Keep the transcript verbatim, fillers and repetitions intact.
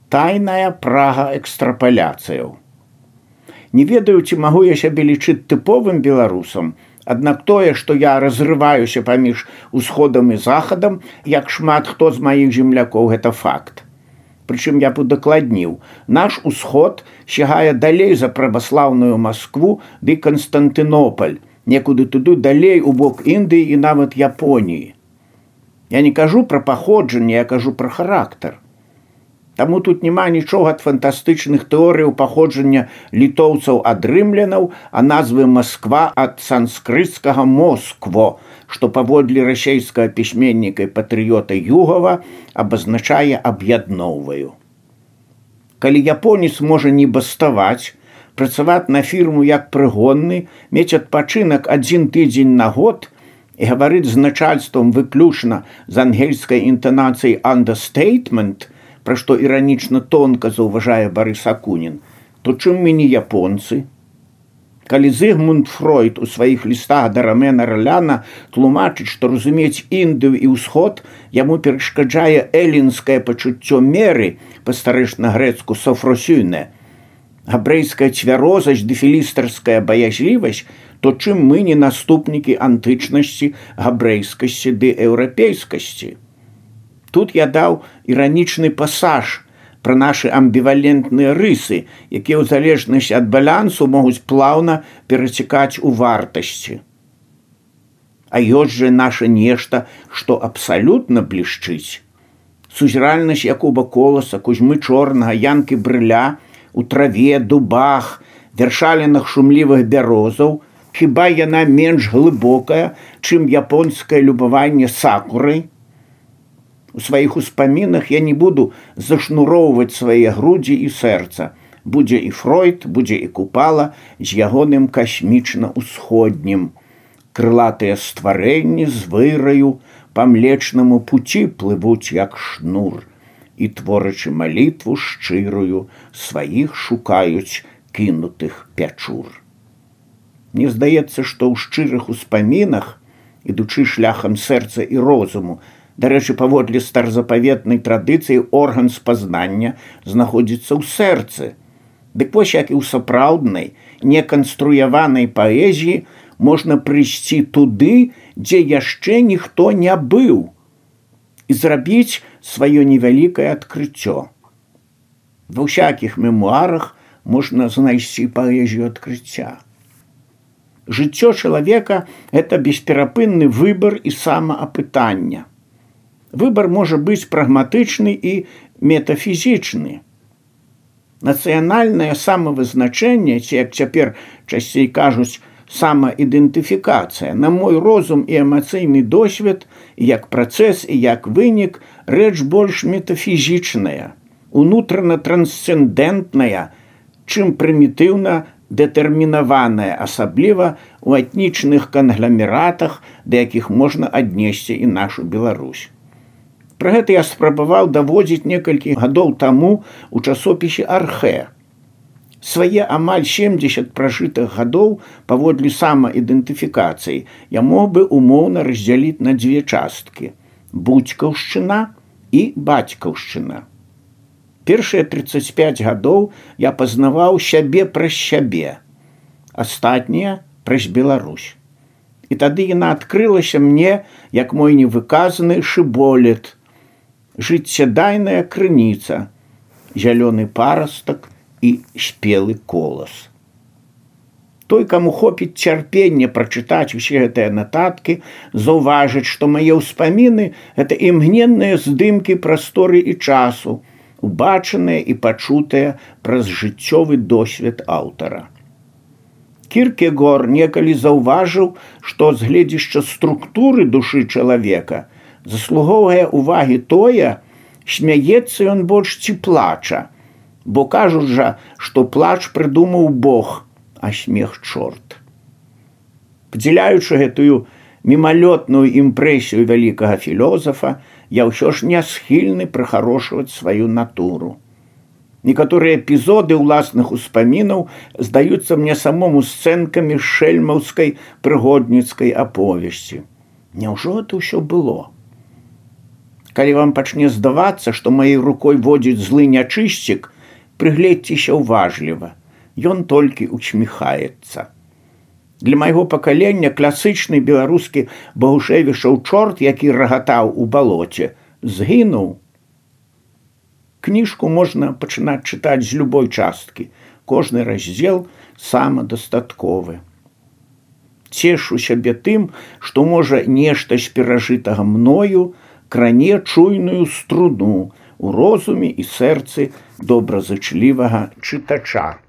Тайная прага экстрапаляцыяў. Не ведаю, ці магу я сябе лічыць тыповым беларусам, аднак тое, што я разрываюся паміж усходам і захадам, як шмат хто з маіх землякоў, гэта факт. Прычым я б удакладніў, наш усход сягае далей за праваслаўную Маскву ды Канстантынополь, некуды туды далей у бок Індыі і нават Японіі. Я не кажу пра паходжанне, я кажу пра характар. Таму тут няма нічога ад фантастычных тэорыяў паходжання літоўцаў ад рымлянаў, а назвы Масква ад санскрытскага Москво, што паводле расейскага пісьменніка і патрыёта Югава абазначае аб'ядноўваю. Калі японец можа не баставаць, працаваць на фірму як прыгонны, мець адпачынак адзін тыдзень на год і гаварыць з начальствам выключна з ангельскай інтанацыяй «understatement», пра што іранічна тонка заўважае Барыс Акунін, то чым мы не японцы? Калі Зігмунд Фройд у сваіх лістах да Ромена Роляна тлумачыць, што разумець Індыю і ўсход яму перашкаджае элінскае пачуццё меры, па-старэчна-грэцку «софросюне», габрэйская цвярозасць ды філістарская баязлівасць, то чым мы не наступнікі антычнасці, габрэйскасці ды еўрапейскасці? Тут я даў іранічны пасаж пра нашы амбівалентныя рысы, якія ў залежнасці ад балансу могуць плаўна перацікаць у вартасці. А ёсць жа наша нешта, што абсалютна блішчыць. Сузіральнасць Якуба Коласа, Кузьмы Чорнага, Янкі Брыля, у траве, дубах, вершалінах шумлівых бярозаў, хіба яна менш глыбокая, чым японскае любаванне сакурай? У сваіх успамінах я не буду зашнуроўваць свае грудзі і сэрца. Будзе і Фройд, будзе і Купала з ягоным касмічна-усходнім. Крылатыя стварэнні з выраю па млечнаму пуці плывуць як шнур і, творачы малітву шчырую, сваіх шукаюць кінутых пячур. Мне здаецца, што ў шчырых успамінах, ідучы шляхам сэрца і розуму, дарэчы, паводле старзапаветнай традыцыі орган спазнання знаходзіцца ў сэрцы. Дык вось як і ў сапраўднай, неканструяванай паэзіі можна прыйсці туды, дзе яшчэ ніхто не быў, і зрабіць сваё невялікае адкрыццё. Ва ўсякіх мемуарах можна знайсці паэзію адкрыцця. Жыццё чалавека – гэта бесперапынны выбар і самаапытання. Выбар можа быць прагматычны і метафізічны. Нацыянальнае самавызначэнне, ці, як цяпер часцей кажуць, самаідэнтыфікацыя, на мой розум і эмацыйны досвед, як працэс і як вынік, рэч больш метафізічная, унутрана-трансцэндэнтная, чым прымітыўна дэтэрмінаваная, асабліва ў этнічных кангламератах, да якіх можна аднесці і нашу Беларусь. Пра гэта я спрабаваў даводзіць некалькі гадоў таму у часопісе «Архэ». Свае амаль семдзесят пражытых гадоў паводле самаідэнтыфікацыі я мог бы умоўна раздзяліць на дзве часткі – будзькаўшчына і бацькаўшчына. Першыя трыццаць пяць гадоў я пазнаваў сябе праз сябе, астатнія праз Беларусь. І тады яна адкрылася мне, як мой невыказаны шыболет, жыццядайная крыніца, зялёны парастак і спелы колас. Той, каму хопіць цярпення прачытаць усе гэтыя нататкі, заўважыць, што мае ўспаміны – гэта імгненныя здымкі прасторы і часу, убачаныя і пачутыя праз жыццёвы досвед аўтара. Кіркегор некалі заўважыў, што з гледзішча структуры душы чалавека заслугоўвае ўвагі тое, смяецца ён больш ці плача, бо кажуць жа, што плач прыдумаў Бог, а смех чорт. Падзяляючы гэтую мімалётную імпрэсію вялікага філёзафа, я ўсё ж не схільны прыхарошваць сваю натуру. Некаторыя эпізоды ўласных успамінаў здаюцца мне самому сцэнкамі шэльмаўскай прыгодніцкай аповесці. Няўжо гэта ўсё было? Калі вам пачне здавацца, што маёй рукой водзіць злы нячысцік, прыгледзьцеся ўважліва. Ён толькі ўчміхаецца. Для майго пакалення класычны беларускі Багушевішаў чорт, які рагатаў у балоце, згінуў. Кніжку можна пачынаць чытаць з любой часткі. Кожны раздзел самадастатковы. Цешу сябе тым, што можа нешта з перажытага мною кране чуйную струну ў розуме і сэрцы добразычлівага чытача.